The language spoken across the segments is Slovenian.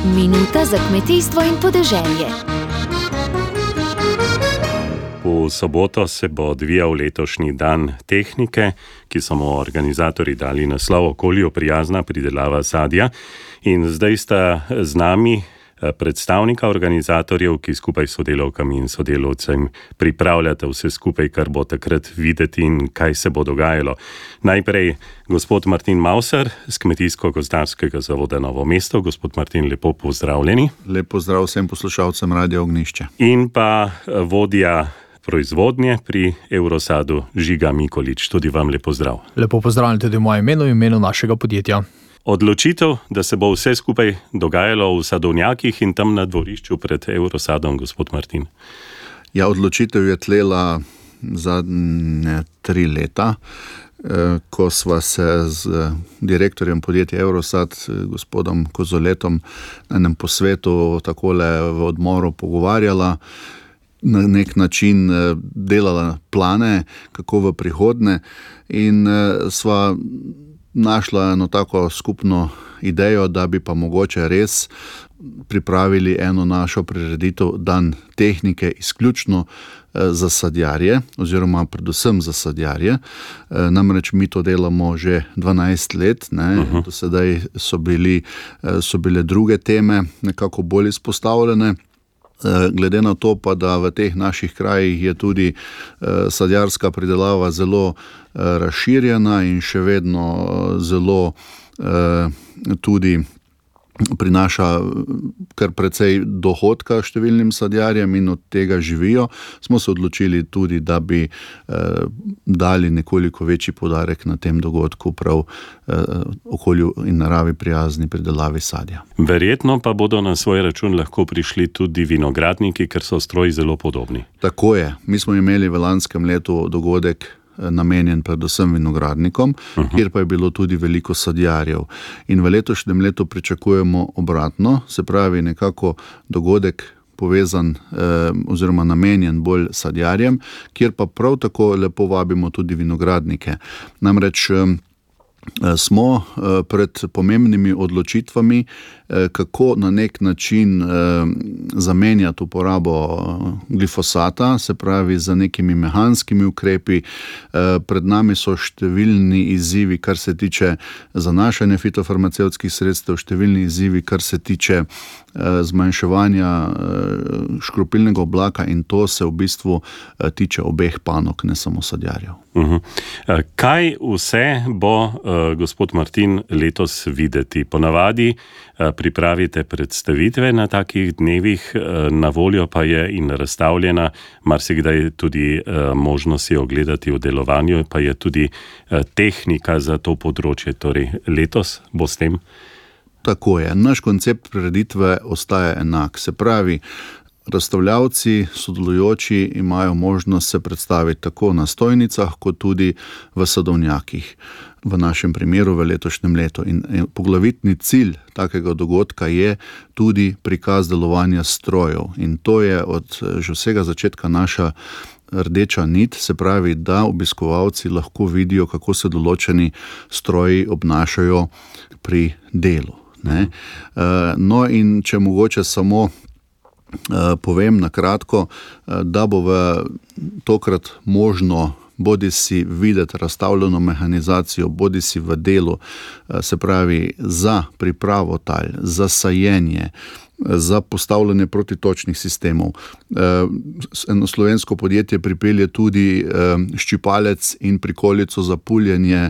Minuta za kmetijstvo in podeželje. V soboto se bo odvijal letošnji dan tehnike, ki so mu organizatorji dali naslov Okolju prijazna pridelava sadja. In zdaj sta z nami predstavnika organizatorjev, ki skupaj s sodelavkami in sodelavcem pripravljate vse skupaj, kar bo takrat videti in kaj se bo dogajalo. Najprej gospod Martin Mauser z Kmetijsko-gozdarskega zavoda Novo mesto. Gospod Martin, lepo pozdravljeni. Lep pozdrav vsem poslušalcem Radia Ognjišče. In pa vodja proizvodnje pri Eurosadu Žiga Mikolič. Tudi vam lep pozdrav. Lepo pozdravljeni tudi v mojem imenu in imenu našega podjetja. Odločitev, da se bo vse skupaj dogajalo v sadovnjakih in tam na dvorišču pred Eurosadom, gospod Martin. Ja, odločitev je tlela zadnje 3 leta, ko sva se z direktorjem podjetja Eurosad, gospodom Kozoletom, na enem posvetu takole v odmoru pogovarjala, na nek način delala plane, kako v prihodnje, in sva našla eno tako skupno idejo, da bi pa mogoče res pripravili eno našo prireditev Dan tehnike izključno za sadjarje, oziroma predvsem za sadjarje. Namreč mi to delamo že 12 let, ne? Do sedaj so bile druge teme nekako bolj izpostavljene. Glede na to pa, da v teh naših krajih je tudi sadjarska pridelava zelo razširjena in še vedno zelo tudi prinaša kar precej dohodka številnim sadjarjem in od tega živijo, smo se odločili tudi, da bi dali nekoliko večji poudarek na tem dogodku prav okolju in naravi prijazni pridelavi sadja. Verjetno pa bodo na svoj račun lahko prišli tudi vinogradniki, ker so stroji zelo podobni. Tako je. Mi smo imeli v lanskem letu dogodek namenjen predvsem vinogradnikom, kjer pa je bilo tudi veliko sadjarjev. In v letošnjem letu pričakujemo obratno, se pravi nekako dogodek povezan oziroma namenjen bolj sadjarjem, kjer pa prav tako lepo vabimo tudi vinogradnike. Namreč smo pred pomembnimi odločitvami, kako na nek način zamenjati uporabo glifosata, se pravi za nekimi mehanskimi ukrepi. Pred nami so številni izzivi, kar se tiče zanašanja fitofarmacevtskih sredstev, številni izzivi, kar se tiče zmanjševanja škropilnega oblaka, in to se v bistvu tiče obeh panog, ne samo sadjarjev. Kaj vse bo, gospod Martin, letos videti? Ponavadi pripravite predstavitve na takih dnevih, na voljo pa je in razstavljena, marsikdaj tudi možnost je ogledati v delovanju, pa je tudi tehnika za to področje. Torej, letos bo s tem? Tako je. Naš koncept prireditve ostaja enak. Se pravi, razstavljavci, sodelujoči imajo možnost se predstaviti tako na stojnicah, kot tudi v sadovnjakih. V našem primeru v letošnjem letu. In poglavitni cilj takega dogodka je tudi prikaz delovanja strojev. In to je od že vsega začetka naša rdeča nit, se pravi, da obiskovalci lahko vidijo, kako se določeni stroji obnašajo pri delu. Ne? No, in če mogoče samo povem na kratko, da bo tokrat možno bodisi videti razstavljeno mehanizacijo, bodisi v delu, se pravi za pripravo tal, za sajenje, za postavljanje protitočnih sistemov. Eno slovensko podjetje pripelje tudi ščipalec in prikolico za puljenje,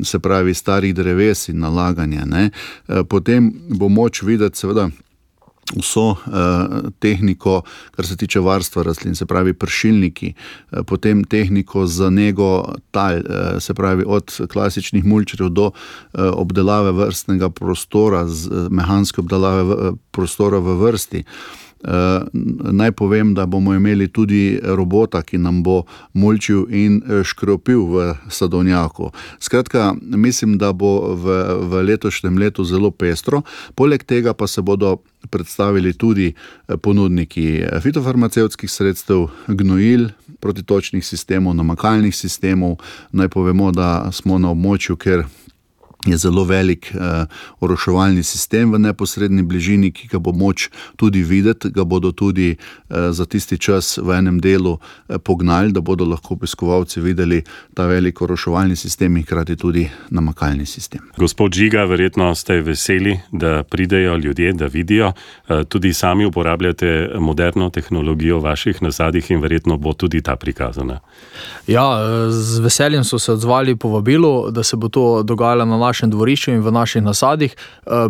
se pravi starih dreves in nalaganje. Ne? Potem bo moč videti seveda vso tehniko, kar se tiče varstva rastlin, se pravi pršilniki, potem tehniko za nego tal, se pravi od klasičnih mulčerjev do obdelave vrstnega prostora, mehanske obdelave prostora v vrsti. Naj povem, da bomo imeli tudi robota, ki nam bo mulčil in škropil v sadovnjaku. Skratka, mislim, da bo v letošnjem letu zelo pestro. Poleg tega pa se bodo predstavili tudi ponudniki fitofarmacevtskih sredstev, gnojil, protitočnih sistemov, namakalnih sistemov. Naj povemo, da smo na območju, kjer je zelo velik oroševalni sistem v neposredni bližini, ki ga bo moč tudi videti, ga bodo tudi za tisti čas v enem delu pognali, da bodo lahko obiskovalci videli ta velik oroševalni sistem in hkrati tudi namakalni sistem. Gospod Žiga, verjetno ste veseli, da pridejo ljudje, da vidijo. Tudi sami uporabljate moderno tehnologijo v vaših nasadih in verjetno bo tudi ta prikazana. Ja, z veseljem so se odzvali povabilu, da se bo to dogajalo na našem dvorišču in v naših nasadih.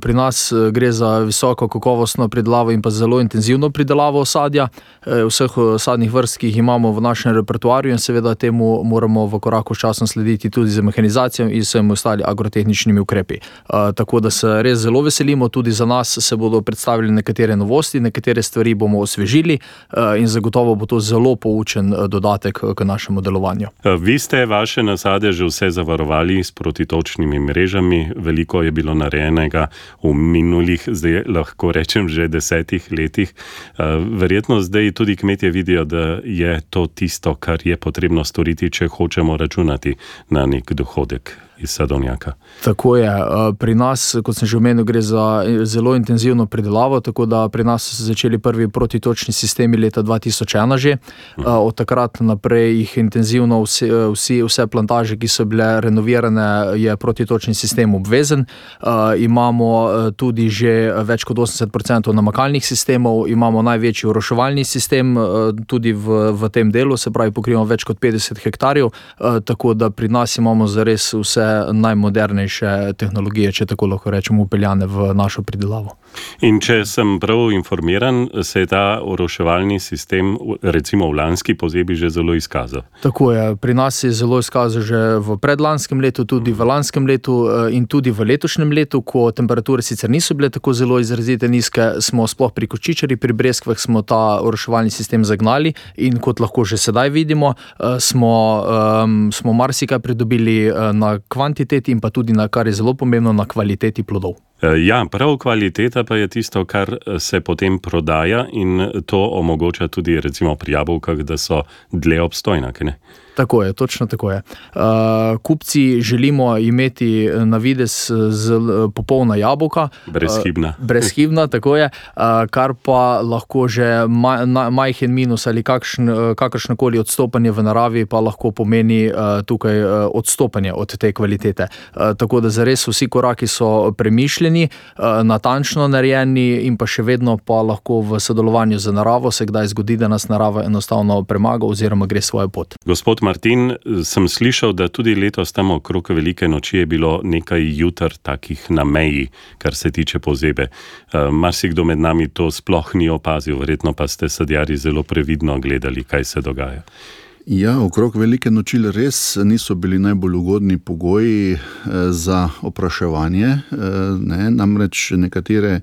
Pri nas gre za visoko kakovostno pridelavo in pa zelo intenzivno pridelavo sadja, vseh sadnih vrst, ki jih imamo v našem repertoarju in seveda temu moramo v koraku s časom slediti tudi z mehanizacijo in vsemi ostali agrotehničnimi ukrepi. Tako da se res zelo veselimo, tudi za nas se bodo predstavili nekatere novosti, nekatere stvari bomo osvežili in zagotovo bo to zelo poučen dodatek k našemu delovanju. Vi ste vaše nasade že vse zavarovali s protitočnimi mrežami, veliko je bilo narejenega v minulih, zdaj lahko rečem že 10 letih. Verjetno zdaj tudi kmetje vidijo, da je to tisto, kar je potrebno storiti, če hočemo računati na nek dohodek iz sadovnjaka. Tako je. Pri nas, kot sem že omenil, gre za zelo intenzivno pridelavo, tako da pri nas so začeli prvi protitočni sistemi leta 2001 že. Od takrat naprej jih intenzivno vse plantaže, ki so bile renovirane, je protitočni sistem obvezen. Imamo tudi že več kot 80% namakalnih sistemov, imamo največji oroševalni sistem tudi v tem delu, se pravi pokrivamo več kot 50 hektarjev, tako da pri nas imamo zares vse najmodernejše tehnologije, če tako lahko rečemo, upeljane v našo pridelavo. In če sem prav informiran, se je ta oroševalni sistem recimo v lanski pozimi že zelo izkazal. Tako je, pri nas je zelo izkazal že v predlanskem letu, tudi v lanskem letu in tudi v letošnjem letu, ko temperature sicer niso bile tako zelo izrazite nizke, smo sploh pri kočičarji, pri breskvah smo ta oroševalni sistem zagnali in kot lahko že sedaj vidimo, smo marsikaj pridobili na kvantiteti in pa tudi na, kar je zelo pomembno, na kvaliteti plodov. Ja, prav kvaliteta pa je tisto, kar se potem prodaja in to omogoča tudi recimo pri jabolkah, da so dlje obstojna, ne? Tako je, točno tako je. Kupci želimo imeti na videz popolna jabolka. Brezhibna. Brezhibna, tako je. Kar pa lahko že majhen minus ali kakršnokoli odstopanje v naravi pa lahko pomeni tukaj odstopanje od te kvalitete. Tako da zares vsi koraki so premišljeni, natančno narejeni in pa še vedno pa lahko v sodelovanju z naravo se kdaj zgodi, da nas narava enostavno premaga oziroma gre svojo pot. Gospod Martin, sem slišal, da tudi letos tam okrog velike noči je bilo nekaj jutar takih na meji, kar se tiče pozebe. Marsikdo med nami to sploh ni opazil, verjetno pa ste sadjarji zelo previdno gledali, kaj se dogaja. Ja, okrog velike noči res niso bili najbolj ugodni pogoji za opraševanje, namreč nekatere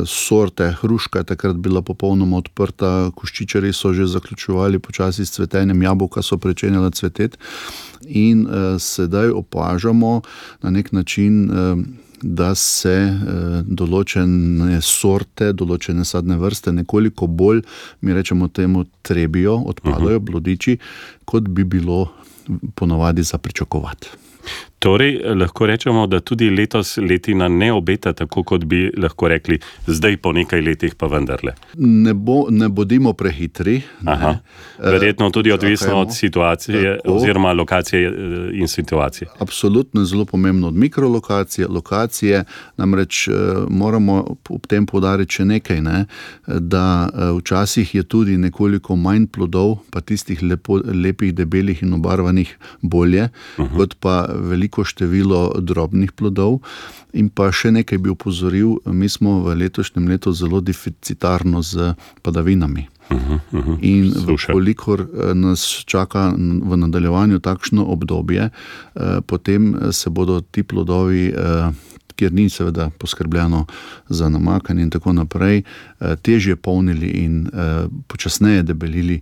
sorte hruška je takrat bila popolnoma odprta, koščičarji so že zaključevali počasi s cvetenjem, jabolka so pričenjala cveteti in sedaj opažamo na nek način, da se določene sorte, določene sadne vrste nekoliko bolj, mi rečemo temu, trebijo, odpadajo plodiči, kot bi bilo ponavadi za pričakovati. Torej, lahko rečemo, da tudi letos letina ne obeta tako, kot bi lahko rekli, zdaj po nekaj letih pa vendarle. Ne bodimo prehitri. Aha. Verjetno tudi odvisno od situacije oziroma lokacije in situacije. Absolutno je zelo pomembno od mikrolokacije, lokacije, namreč moramo ob tem poudariti še nekaj, da včasih je tudi nekoliko manj plodov, pa tistih lepih, debelih in obarvanih bolje, kot pa veliko število drobnih plodov. In pa še nekaj bi opozoril, mi smo v letošnjem letu zelo deficitarno z padavinami. In kolikor nas čaka v nadaljevanju takšno obdobje, potem se bodo ti plodovi, kjer ni seveda poskrbljeno za namakanje in tako naprej, težje polnili in počasneje debelili,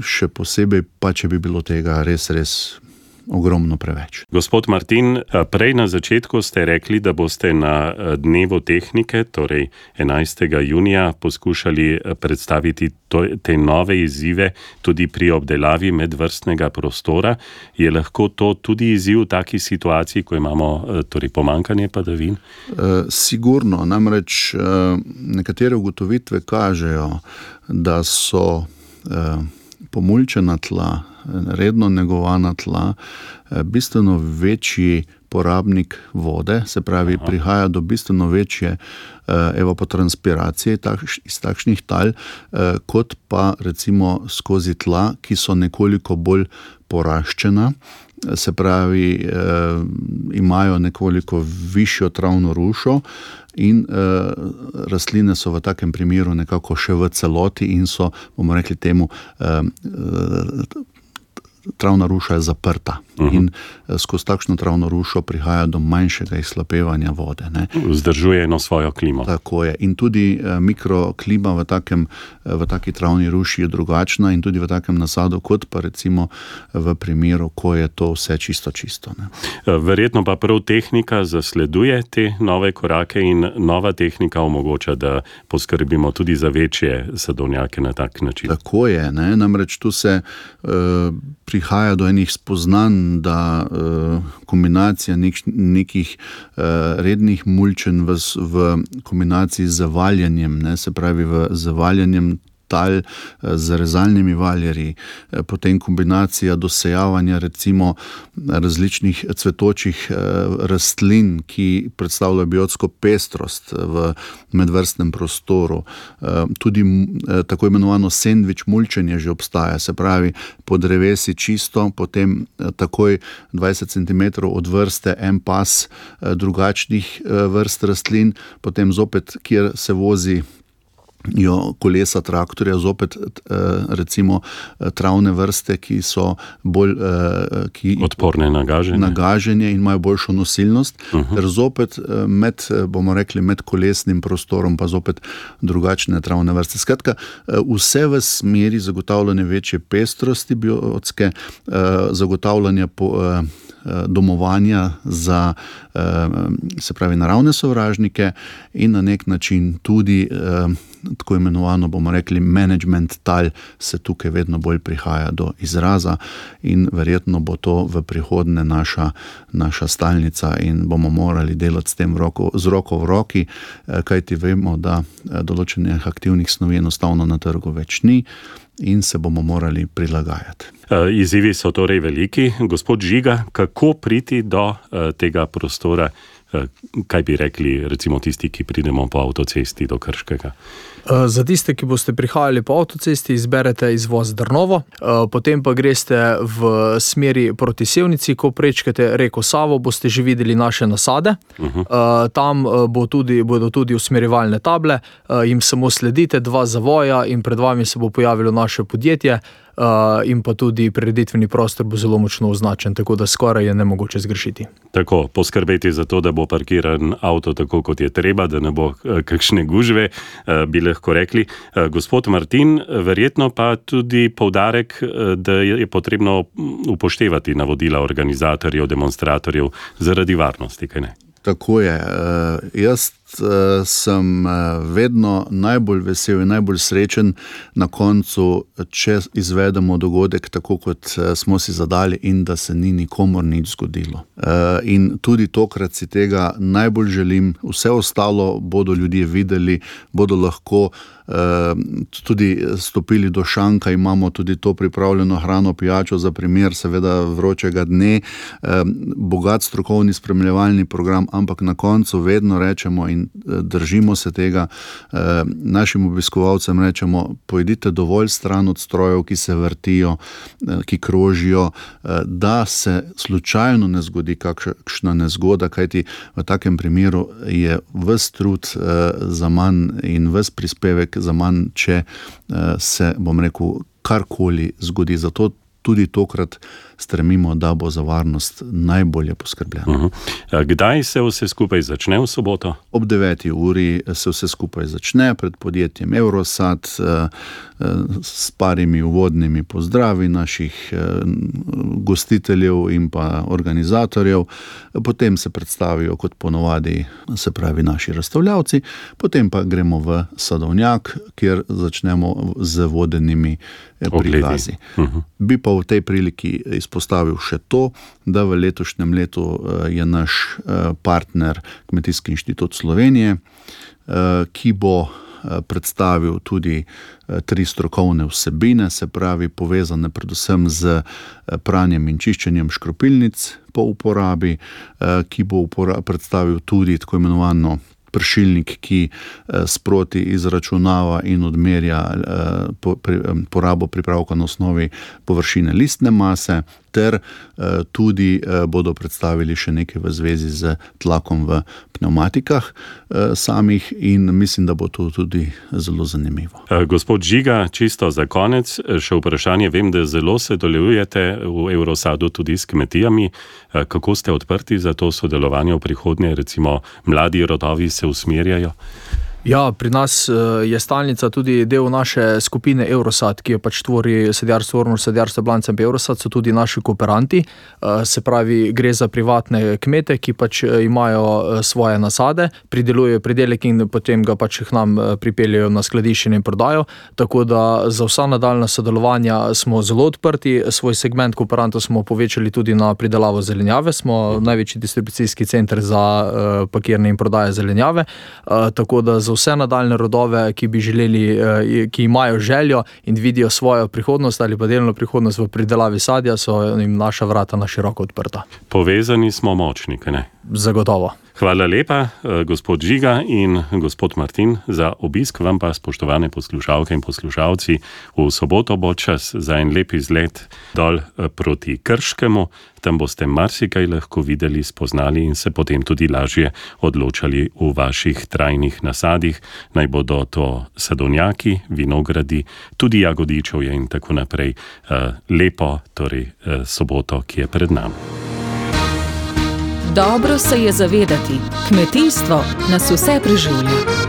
še posebej pa, če bi bilo tega res ogromno preveč. Gospod Martin, prej na začetku ste rekli, da boste na dnevu tehnike, torej 11. junija, poskušali predstaviti te nove izzive tudi pri obdelavi medvrstnega prostora. Je lahko to tudi izziv v taki situaciji, ko imamo torej pomanjkanje padavin? Sigurno, namreč nekatere ugotovitve kažejo, da so pomulčena tla, redno negovana tla, bistveno večji porabnik vode, se pravi, prihaja do bistveno večje evapotranspiracije iz takšnih tal, kot pa recimo skozi tla, ki so nekoliko bolj poraščena, se pravi, imajo nekoliko višjo travno rušo in rastline so v takem primeru nekako še v celoti in so, bomo rekli temu, travna ruša je zaprta in skozi takšno travno rušo prihaja do manjšega izhlapevanja vode. Vzdržuje eno svojo klimo. Tako je. In tudi mikroklima v taki travni ruši je drugačna in tudi v takem nasadu, kot pa recimo v primeru, ko je to vse čisto. Verjetno pa prav tehnika zasleduje te nove korake in nova tehnika omogoča, da poskrbimo tudi za večje sadovnjake na tak način. Tako je, namreč tu se prihaja do enih spoznanj, da kombinacija nekih rednih mulčen v kombinaciji z zavaljanjem, se pravi z zavaljanjem tal z rezalnimi valjarji, potem kombinacija dosejavanja recimo različnih cvetočih rastlin, ki predstavljajo biotsko pestrost v medvrstnem prostoru. Tudi tako imenovano sendvič mulčenje že obstaja, se pravi po drevesi čisto, potem takoj 20 cm od vrste en pas drugačnih vrst rastlin, potem zopet, kjer se vozi kolesa traktorja, zopet recimo travne vrste, ki so bolj odporne na gaženje in imajo boljšo nosilnost, ter zopet med kolesnim prostorom pa zopet drugačne travne vrste. Skratka, vse v smeri zagotavljanja večje pestrosti biotske, zagotavljanja domovanja za, se pravi, naravne sovražnike in na nek način tudi tako imenovano, bomo rekli, management tal se tukaj vedno bolj prihaja do izraza in verjetno bo to v prihodnje naša stalnica in bomo morali delati s tem z roko v roki, kajti vemo, da določenih aktivnih snovi enostavno na trgu več ni in se bomo morali prilagajati. Izzivi so torej veliki. Gospod Žiga, kako priti do tega prostora? Kaj bi rekli recimo tisti, ki pridemo po avtocesti do Krškega? Za tiste, ki boste prihajali po avtocesti, izberete izvoz Drnovo, potem pa greste v smeri proti Sevnici, ko prečkate reko Savo, boste že videli naše nasade. Tam bodo tudi usmerjevalne table, jim samo sledite, 2 zavoja in pred vami se bo pojavilo naše podjetje in pa tudi prireditveni prostor bo zelo močno označen, tako da skoraj je nemogoče zgrešiti. Tako, poskrbeti za to, da bo parkiran avto tako, kot je treba, da ne bo kakšne gužve, bi lahko rekli. Gospod Martin, verjetno pa tudi poudarek, da je potrebno upoštevati navodila organizatorjev, demonstratorjev zaradi varnosti, kaj ne? Tako je. Jaz sem vedno najbolj vesel in najbolj srečen na koncu, če izvedemo dogodek tako, kot smo si zadali in da se ni nikomur nič zgodilo. In tudi tokrat si tega najbolj želim. Vse ostalo bodo ljudje videli, bodo lahko tudi stopili do šanka, imamo tudi to pripravljeno hrano, pijačo za primer seveda vročega dne, bogat strokovni spremljevalni program, ampak na koncu vedno rečemo in držimo se tega, našim obiskovalcem rečemo, pojdite dovolj stran od strojev, ki se vrtijo, ki krožijo, da se slučajno ne zgodi kakšna nezgoda, kajti v takem primeru je ves trud za manj in ves prispevek za manj, če se, bom rekel, karkoli zgodi. Zato tudi tokrat stremimo, da bo za varnost najbolje poskrbljeno. Kdaj se vse skupaj začne v soboto? Ob 9. uri se vse skupaj začne pred podjetjem Eurosat s parimi uvodnimi pozdravi naših gostiteljev in pa organizatorjev. Potem se predstavijo kot ponovadi, se pravi naši razstavljavci, potem pa gremo v Sadovnjak, kjer začnemo z vodenimi prikazi. Bi pa v tej priliki izpostavil še to, da v letošnjem letu je naš partner Kmetijski inštitut Slovenije, ki bo predstavil tudi 3 strokovne vsebine, se pravi povezane predvsem z pranjem in čiščenjem škropilnic po uporabi, ki bo predstavil tudi tako imenovano pršilnik, ki sproti izračunava in odmerja porabo pripravka na osnovi površine listne mase, ter tudi bodo predstavili še nekaj v zvezi z tlakom v pneumatikah samih in mislim, da bo to tudi zelo zanimivo. Gospod Žiga, čisto za konec, še vprašanje, vem, da zelo sodelujete v Eurosadu tudi s kmetijami. Kako ste odprti za to sodelovanje v prihodnje, recimo mladi rodovi se usmerjajo? Ja, pri nas je stalnica tudi del naše skupine Eurosat, ki jo pač tvori sadjarstvo Ormož, sadjarstvo Blancem in Eurosat, so tudi naši kooperanti. Se pravi, gre za privatne kmete, ki pač imajo svoje nasade, pridelujejo pridelek in potem ga pač k nam pripeljejo na skladiščenje in prodajo. Tako da za vsa nadaljna sodelovanja smo zelo odprti. Svoj segment kooperantov smo povečali tudi na pridelavo zelenjave. Smo največji distribucijski center za pakiranje in prodaje zelenjave. Tako da za vse nadaljne rodove, ki bi želeli, ki imajo željo in vidijo svojo prihodnost ali pa delno prihodnost v pridelavi sadja, so jim naša vrata na široko odprta. Povezani smo močni, ne? Zagotovo. Hvala lepa, gospod Žiga in gospod Martin, za obisk. Vam pa, spoštovane poslušalke in poslušalci, v soboto bo čas za en lep izlet dol proti Krškemu. Tam boste marsikaj lahko videli, spoznali in se potem tudi lažje odločali v vaših trajnih nasadih. Naj bodo to sadovnjaki, vinogradi, tudi jagodičevje in tako naprej. Lepo, torej soboto, ki je pred nami. Dobro se je zavedati, kmetijstvo nas vse preživlja.